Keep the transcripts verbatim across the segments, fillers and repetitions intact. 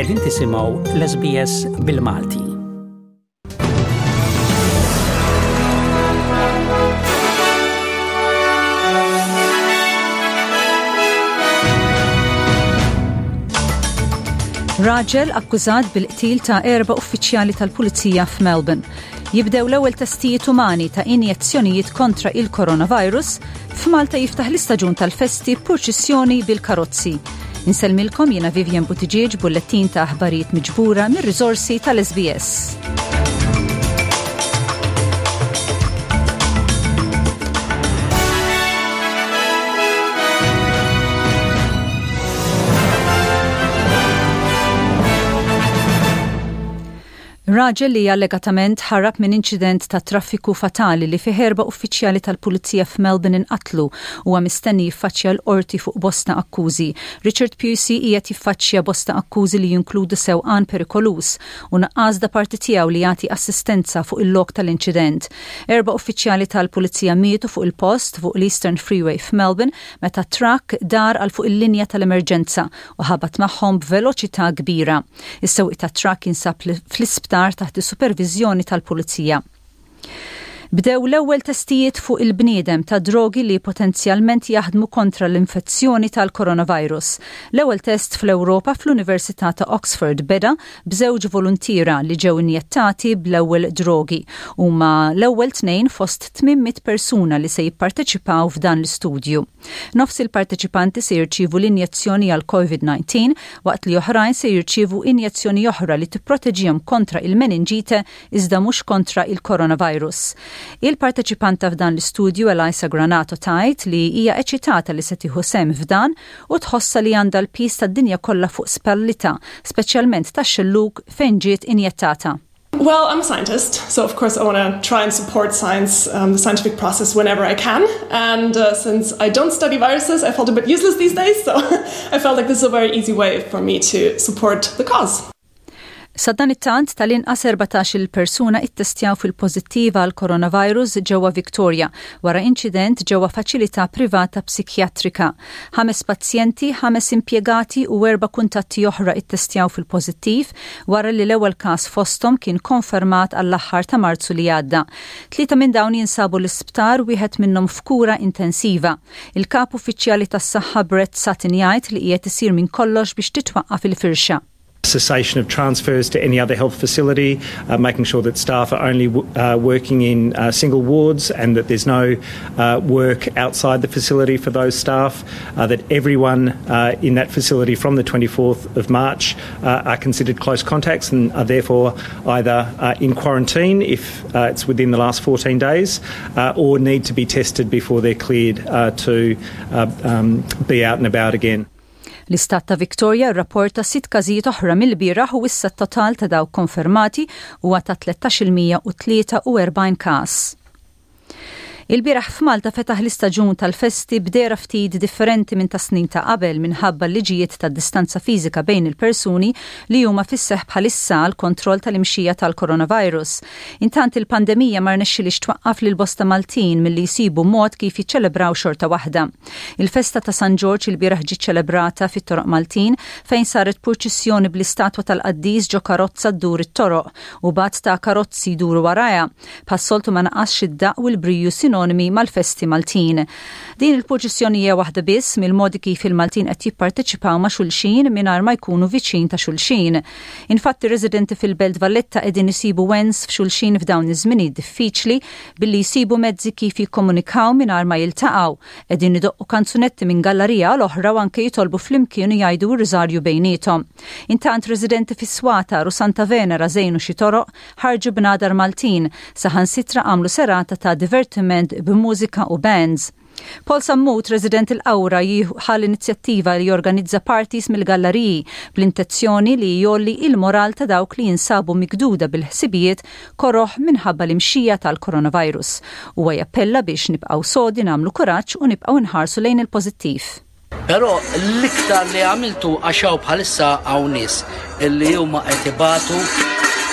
Qegħdin tisimgħu l-S B S bil-Malti. Raġel akkużat bil-qtil ta' erba' uffiċjali tal-Pulizija f'Melbourne. Jibdew l-ewwel testijiet umani ta' injezzjonijiet kontra il-coronavirus. F'Malta jiftaħ l-istaġun tal-festi purċissjoni bil-karozzi. Insellmilkom, jiena Vivian Buttigieg, bullettin ta' aħbarijiet miġbura mir-riżorsi tal-S B S. Raġel li allegatament ħarab minn inċident ta' traffiku fatali li fih erba' uffiċjali tal-Pulizija f'Melbourne inqatlu huwa mistenni jiffaċċja l-qorti fuq bosta akkużi. Richard Pusey qiegħed jiffaċċja bosta akkużi li jinkludu sewqan perikoluż u nuqqas da parti tiegħu li jagħti assistenza fuq il-lok tal-inċident. Erba' uffiċjali tal-Pulizija mietu fuq il-post fuq l-Eastern Freeway f'Melbourne meta trakk dar għal fuq il-linja tal-emerġenza u ħabat magħhom b'veloċità kbira. Is-sewwieq tat-trakk jinsab fl-isptar taħt is-superviżjoni tal-Pulizija. Bdew l-ewwel testijiet fuq il-bniedem ta' drogi li potenzjalment jaħdmu kontra l-infezzjoni tal-coronavirus. L-ewwel test fl-Ewropa fl-Università ta' Oxford beda b'żewġ voluntiera li ġew injettati bl-ewwel drogi. Huma l-ewwel tnejn fost tmien mitt persuna li se jipparteċipaw f'dan l-istudju. Nofs il-parteċipanti se jirċievu l-injezzjoni għal COVID disa waqt li oħrajn se jirċievu injezzjoni oħra li tipproteġihom kontra il-meninġite iżda mhux kontra il-coronavirus. Il-parteċipanta f'dan l-istudju, Elisa Granato, tgħid li hija eċitata li se tieħu sehem f'dan u tħossa li għandha l-piż tad-dinja kollha fuq spallitha, speċjalment tax-xellug fejn ġiet injettata. Well, I'm a scientist, so of course I want to try and support science, um, the scientific process whenever I can. And uh, since I don't study viruses, I felt a bit useless these days, so I felt like this is a very easy way for me to support the cause. Sadanittant, tal-inqas erbatax-il persuna ittestjaw fil-pożittiva għal coronavirus ġewwa Victoria wara inċident ġewwa faċilità privata psikjatrika. Ħames pazjenti, ħames impjegati u erba' kuntatti oħra ittestjaw fil-pożittiv wara li l-ewwel każ fosthom kien konfermat għall-aħħar ta' Marzu li għadda. Tlieta minn dawn jinsabu l-isptar, wieħed minnhom f'kura intensiva. Il-kap uffiċjali tas-saħħa Brett Sutton jgħid li qiegħed isir minn kollox biex titwaqqaf il-firxa. Cessation of transfers to any other health facility, uh, making sure that staff are only uh, working in uh, single wards and that there's no uh, work outside the facility for those staff, uh, that everyone uh, in that facility from the twenty-fourth of March are considered close contacts and are therefore either in quarantine if it's within the last fourteen days or need to be tested before they're cleared to um, be out and about again. L-istat ta' Victoria rrapporta sitt każijiet oħra mill-bieraħ u issa t-total ta' dawk konfermati huwa ta' tlettax-il mija u tlieta u erbgħin każ. Il-bieraħ f'Malta fetaħ l-istaġun tal-festi b'dehra ftit differenti minn ta' snin ta' qabel minħabba l-liġijiet ta' distanza fiżika bejn il-persuni li huma fis-seħ bħalissa għal kontroll tal-imxija tal-coronavirus. Intant, il-pandemija ma rnexxilix twaqqaf lil bosta Maltin milli jsibu mod kif jiċċelebraw xorta waħda. Il-festa ta' San Ġorġ il-bieraħ ġiet ċelebrata fit-toroq Maltin, fejn saret purċissjoni bl-istatwa tal-qaddis ġo karozza ddur it-toroq u b'għadd ta' karozzi jduru warajha. Bħas-soltu ma naqasx id-daq u l-briju sinonimi mal-festi Maltin. Din il-purċissjoni hija waħda biss mill-modi kif il-Maltin qed jipparteċipaw ma' xulxin mingħajr ma jkunu viċin ta' xulxin. Infatti, residenti fil-Belt Valletta qegħdin isibu wens f'xulxin f'dawn iż-żminijiet diffiċli billi jsibu mezzi kif jikkomunikaw mingħajr ma jiltaqgħu. Qegħdin idoqqu kanzunetti minn gallerija għal oħra u anke jitolbu flimkien u jgħidu r-riżarju bejniethom. Intant, residenti fis-Swatar u Santa Venera żejnu xi toroq, ħarġu bnadar Maltin, saħansitra għamlu serata ta' divertiment b'mużika u bands. Paul Sammut, resident il-Qawra, ħa l-inizjattiva li jorganizza parties mill-galleriji bl-intenzjoni li jgħolli il-moral ta' dawk li jinsabu mikduda bil-ħsibijiet koroħ minħabba l-imxija tal-coronavirus. Huwa jappella biex nibqgħu sodi, nagħmlu kuraġġ u nibqgħu nħarsu lejn il-pożittiv. Però l-iktar li għamiltu għax hawn bħalissa hawn nies illi huma qed ibatu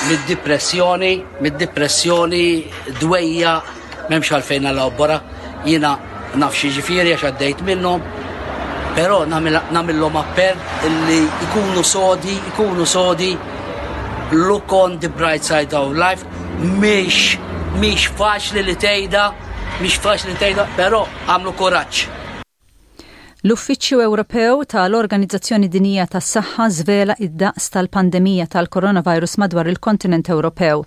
mid-depressjoni, mid-depressjoni, dwejjaq, m'hemmx għalfejn għal. Jiena naf x'jiġifieri għax għaddejt minnhom. Però nagħmillhom appell illi ikunu sodi, ikunu sodi, look on the bright side of life, mhix mhix faċli li tgħidha, mhix faċli li tgħidha, però għamlu kuraġġ. L-Uffiċċju Ewropew tal-Organizzazzjoni Dinjija tas-Saħħa żvela id-daqs tal-pandemija tal-coronavirus madwar il-kontinent Ewropew.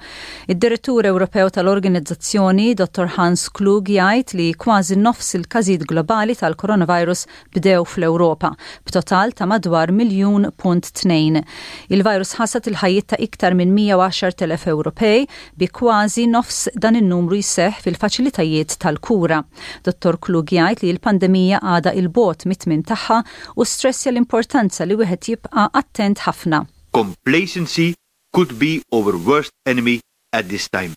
Id-Direttur Ewropew tal-Organizzazzjoni, Dottor Hans Kluge, jgħid li kważi nofs il-każijiet globali tal-coronavirus bdew fl-Ewropa, b'total ta' madwar miljun punt tnejn. Il-virus ħasad il-ħajjiet ta' iktar minn mija u għaxart elef Ewropej, bi kważi nofs dan in-numru jseħħ fil-faċilitajiet tal-kura. Dottor Kluge jgħid li l-pandemija għadha 'l bogħod mit-tmiem tagħha u stressja l-importanza li wieħed jibqa' attent ħafna. Complacency could be our worst enemy at this time.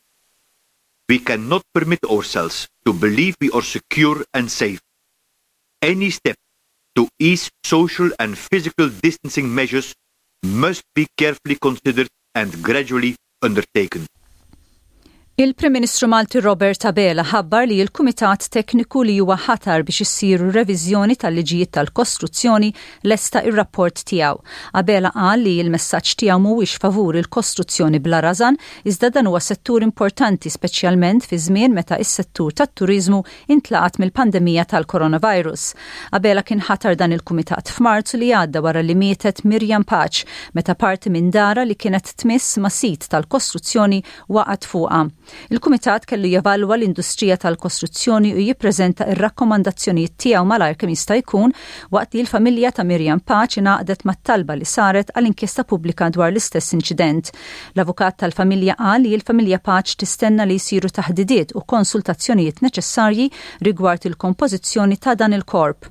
We cannot permit ourselves to believe we are secure and safe. Any step to ease social and physical distancing measures must be carefully considered and gradually undertaken. Il-Prim Ministru Malti Robert Abela ħabbar li l-Kumitat Tekniku li huwa ħatar biex issiru reviżjoni tal-liġijiet tal-kostruzzjoni lesta ir-rapport tiegħu. Abela qal li l-messaġġ tiegħu mhuwiex favur il-kostruzzjoni bla rażan, iżda dan huwa settur importanti, speċjalment fi żmien meta is-settur tat-turiżmu intlaqat mill-pandemija tal-coronavirus. Abela kien ħatar dan il-kumitat f'Marzu li għadda wara li mietet Miriam Pace meta parti minn darha li kienet tmiss ma' sit tal-kostruzzjoni waqgħet fuqha. Il-Kumitat kellu jevalwa l-industrija tal-kostruzzjoni u jippreżenta ir-rakkomandazzjonijiet tiegħu malajr kemm jista' jkun, waqt li l-familja ta' Miriam Pace ingħaqdet mat-talba li saret għal inkjesta pubblika dwar l-istess inċident. L-avukat tal-familja qal li l-familja Pace tistenna li jsiru taħdidiet u konsultazzjonijiet neċessarji rigward il-kompożizzjoni ta' dan il-korp.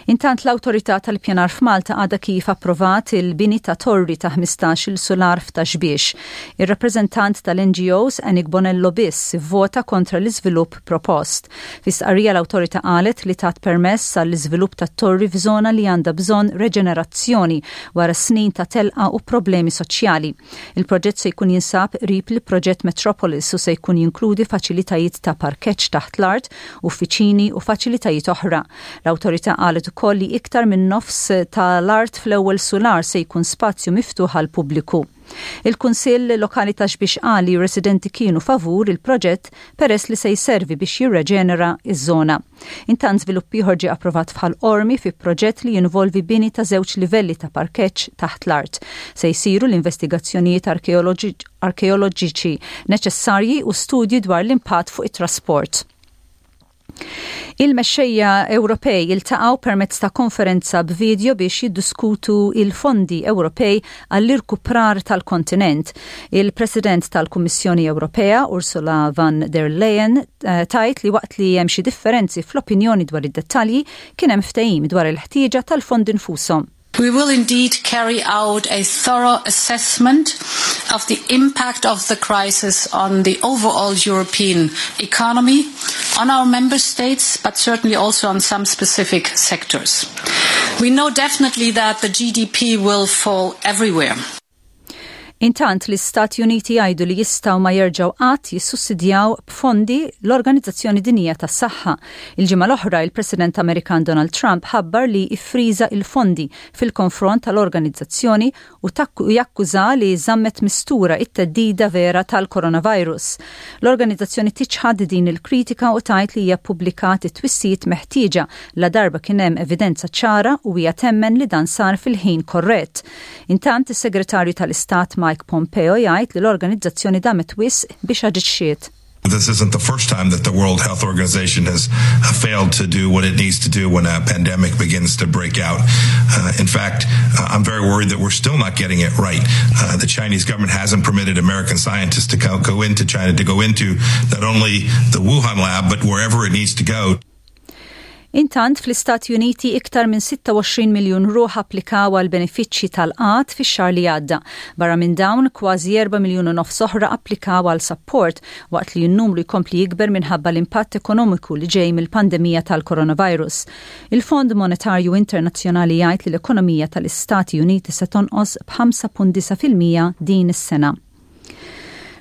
Intant, l-Awtorità tal-Ippjanar f'Malta għadha kif approvat il-bini ta' torri ta' ħmistax-il sular f'Ta' Xbiex. Ir-rappreżentant tal-N G Os Annick Bonello biss vvota kontra l-iżvilupp propost. Fi stqarrija, l-awtorità qalet li tat permess għall-iżvilupp ta' torri f'żona li għandha bżonn reġenerazzjoni wara snin ta' telqa u problemi soċjali. Il-proġett se jkun jinsab qrib il-proġett Metropolis u se jkun jinkludi faċilitajiet ta' parkeġġ taħt l-art, uffiċini u faċilitajiet oħra. L-awtorità qalet ukoll li iktar minn nofs tal-art fl-ewwel sular se jkun spazju miftuħ għal pubbliku. Il-Kunsill Lokali ta' Xbiex qal li residenti kienu favur il-proġett peress li se jservi biex jirreġenera iż-żona. Intant, żvilupp ieħor ġie approvat f'Ħal Qormi fi proġett li jinvolvi bini ta' żewġ livelli ta' parkeġġ taħt l-art. Se jsiru l-investigazzjonijiet arkeoloġiċi neċessarji u studji dwar l-impatt fuq it-trasport. Il-mexxejja Ewropej iltaqgħu permezz ta' konferenza b'video biex jiddiskutu il-fondi Ewropej għall-irkuprar tal-kontinent. Il-President tal-Kummissjoni Ewropea, Ursula von der Leyen, eh, tgħid li waqt li hemm xi differenzi fl-opinjoni dwar id-dettalji, kien hemm ftehim dwar il-ħtieġa tal-fondi nfushom. We will indeed carry out a thorough assessment of the impact of the crisis on the overall European economy, on our member states, but certainly also on some specific sectors. We know definitely that the G D P will fall everywhere. Intant, l-Istati Uniti jgħidu li jistgħu ma jerġgħu qatt jissussidjaw b'fondi l-Organizzazzjoni Dinjija tas-Saħħa. Il-ġimgħa l-oħra, il-President Amerikan Donald Trump ħabbar li iffriża il-fondi fil-konfront tal-organizzazzjoni u jakkuża li żammet mistura it-theddida vera tal-coronavirus. L-organizzazzjoni tiċħad din il-kritika u tgħid li hija ppubblikat it-twissijiet meħtieġa la darba kien hemm evidenza ċara u hija temmen li dan sar fil-ħin korrett. Intant, is-Segretarju tal-Istat Mike Pompeo jgħid li l-organizzazzjoni damet wisq biex aġixxiet. This isn't the first time that the World Health Organization has failed to do what it needs to do when a pandemic begins to break out. Uh, in fact, uh, I'm very worried that we're still not getting it right. Uh, the Chinese government hasn't permitted American scientists to go, go into China, to go into not only the Wuhan lab, but wherever it needs to go. Intant, fl-Istati Uniti, iktar minn sitta u għoxrin miljun ruħ applikaw għal benefiċċji tal-qgħad fix-xahar li għadda. Barra minn dawn, kważi erba' miljun u nofs oħra applikaw għal support, waqt li n-numru jkompli jikber minħabba l-impatt ekonomiku li ġej mill-pandemija tal-coronavirus. Il-Fond Monetarju Internazzjonali jgħid li l-ekonomija tal-Istati Uniti se tonqos b'ħamsa punt disgħa fil-mija din is-sena.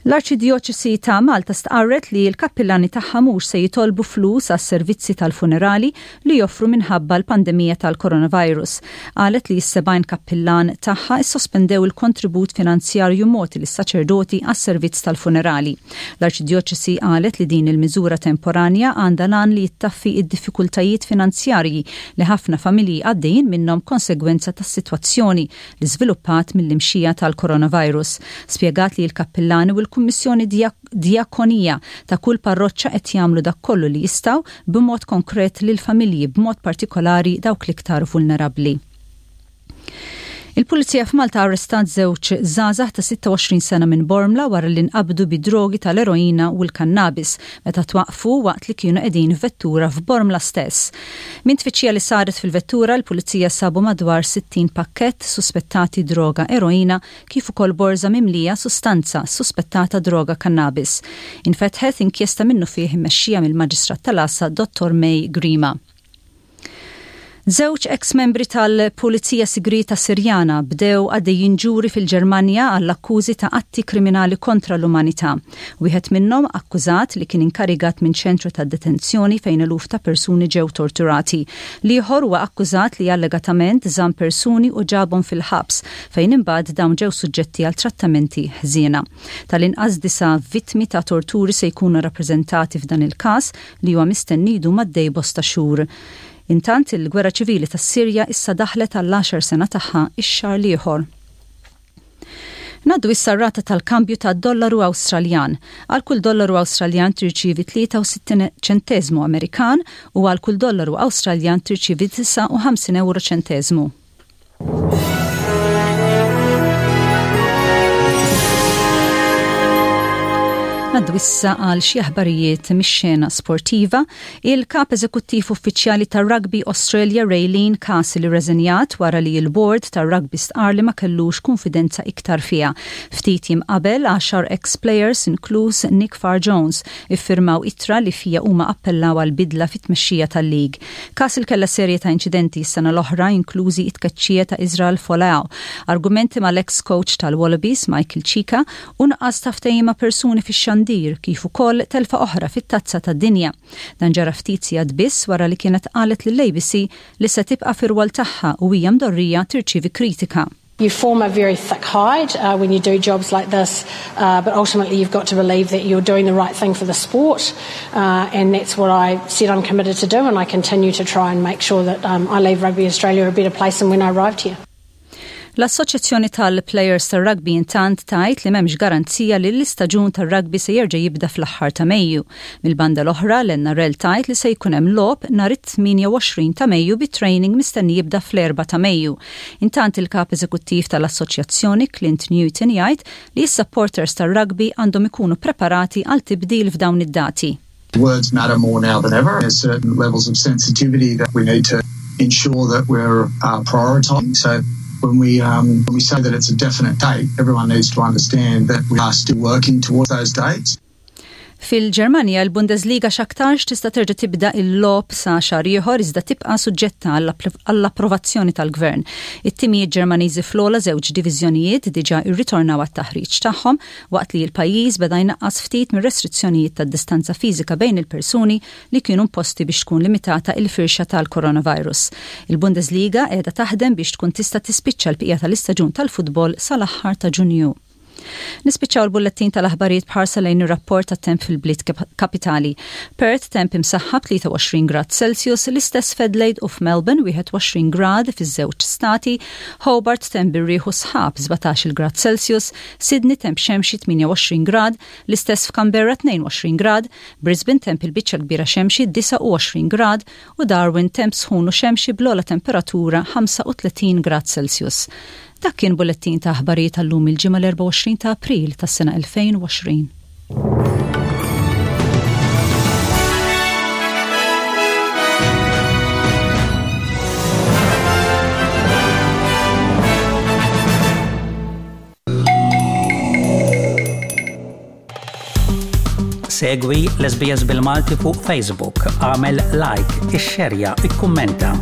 L-Arċidjoċesi ta' Malta stqarret li l-kappillani tagħha mhux se jitolbu flus għas-servizzi tal-funerali li joffru minħabba l-pandemija tal-coronavirus. Qalet li s-sebgħin kappillan tagħha issospendew il-kontribut finanzjarju mogħti lis-saċerdoti għas-servizz tal-funerali. L-Arċidjoċesi qalet li din il-miżura temporanja għandha l-għan li jittaffi id-diffikultajiet finanzjarji li ħafna familji għaddejjin minnhom konsegwenza tas-sitwazzjoni li żviluppat mill-imxija tal-coronavirus. Spjegat li l-kappillani u l-Kummissjoni Djakonija ta' kull parroċċa qed jagħmlu dak kollu li jistgħu b'mod konkret lil familji, b'mod partikolari dawk l-iktar vulnerabbli. Il-Pulizija f'Malta arrestat żewġ żgħażagħ ta' sitta u għoxrin sena minn Bormla wara li nqabdu bi drogi tal-eroina u l-kannabis meta twaqfu waqt li kienu qegħdin f'vettura f'Bormla stess. Minn tfittxija li saret fil-vettura, l-Pulizija sabu madwar sittin pakkett suspettati droga eroina kif ukoll borza mimlija sustanza suspettata droga kannabis. Infetħet inkjesta minnufih immexxija mill-Maġistrat tal-Għassa Dottor May Grima. Żewġ ex-membri tal-Pulizija Sigrita Sirjana bdew għaddejjin ġuri fil-Ġermanja għall-akkużi ta' atti kriminali kontra l-umanità. Wieħed minnhom akkużat li kien inkarigat minn ċentru ta' detenzjoni fejn eluf ta' persuni ġew torturati. L-ieħor huwa akkużat li allegatament żamm persuni u ġabhom fil-ħabs fejn imbagħad dawn ġew suġġetti għal trattamenti ħżiena. Tal-inqas disa' vittmi ta' torturi se jkunu rappreżentati f'dan il-każ li huwa mistenni jdum għaddej bosta xhur. Intant, il-gwerra ċivili tas-Sirja issa daħlet għall-għaxar sena tagħha ix-xahar l-ieħor. Ngħaddu issa rata tal-kambju ta' dollaru Awstraljan. Għal kull dollaru Awstraljan tirċivi tlieta u sittin ċentesmu Amerikan u għal kull dollaru Awstraljan tirċivi disgħa u ħamsin euro ċentesmu. Ngħaddu issa għal xi aħbarijiet mix-xena sportiva. Il-kap eżekuttiv uffiċjali tar-Rugby Australia, Raelene Castle, irreżenjat wara li l-board tar-rugby stqar li ma kellux konfidenza iktar fiha. Ftit jiem qabel, għaxar ex-players, inkluż Nick Farr-Jones, iffirmaw ittra li fija huma appellaw għal bidla fit-tmexxija tal-lig. Castle kella serje ta' inċidenti s-sena l-oħra, inklużi it-tkeċċija ta' Israel Folau, argumenti mal-ex coach tal-Wallabies Michael Cheika u nuqqas ta' ftehim ma' persuni fix-xandir, kif ukoll telfa oħra fit-tazza tad-dinja. Dan ġara ftit sigħat biss wara li kienet qalet lill-A B C li se tibqa' fir-rwol tagħha u hija mdorrija tirċievi kritika. You form a very thick hide uh, when you do jobs like this, uh, but ultimately you've got to believe that you're doing the right thing for the sport, uh, and that's what I said I'm committed to do, and I continue to try and make sure that um, I leave Rugby Australia a better place than when I arrived here. L-Assoċjazzjoni tal-Players tar-Rugby intant tgħid li m'hemmx garanzija li l-istaġun tar-rugby se jerġa' jibda fl-aħħar ta' Mejju. Mill-banda l-oħra, l-N R L tgħid li se jkun hemm logħob nhar it-tmienja u għoxrin ta' Mejju, bi training mistenni jibda fl-erbgħa ta' Mejju. Intant, il-kap eżekuttiv tal-Assoċjazzjoni Clint Newton jgħid li s-supporters tar-rugby għandhom ikunu preparati għal tibdil f'dawn id-dati. Words matter more now than ever. There's certain levels of sensitivity that we need to ensure that we're uh, prioritising. So when we um, when we say that it's a definite date, everyone needs to understand that we are still working towards those dates. Fil-Ġermanja, l-Bundesliga x'aktarx tista' terġa' tibda il-logħob sa xahar ieħor, iżda tibqa' suġġetta għall-approvazzjoni tal-gvern. It-timijiet Ġermaniżi fl-ogħla żewġ diviżjonijiet diġà irritornaw għat-taħriġ tagħhom waqt li l-pajjiż beda jnaqqas ftit mir-restrizzjonijiet tad-distanza fiżika bejn il-persuni li kienu imposti biex tkun limitata il-firxa tal-coronavirus. Il-Bundesliga qiegħda taħdem biex tkun tista' tispiċċa l-bqija tal-istaġun tal-futbol sal-aħħar ta' Ġunju. Nispiċċaw il-bullettin tal-aħbarijiet bħarsa lejn ir-rapport tat-temp fil-bliet kapitali. Perth, temp imsaħħab, tlieta u għoxrin grad Celsius, l-istess f'Adelaide u f'Melbourne, wieħed u għoxrin grad fiż-żewġ stati, Hobart, temp bir-riħ u sħab, sbatax-il grad Celsius, Sydney, temp xemxi, tmienja u għoxrin grad, l-istess f'Canberra, tnejn u għoxrin grad, Brisbane, temp il-biċċa kbira xemxi, disgħa u għoxrin grad u Darwin, temp sħun u xemxi bl-ogħla temperatura ħamsa u tletin grad Celsius. Dak kien bullettin ta' aħbarijiet tal-lum, il-Ġimgħa l-erbgħa u għoxrin ta' April tas-sena elfejn u għoxrin. Segwi l-S B S bil-Malti fuq Facebook, agħmel like, ixxerja, ikkummenta.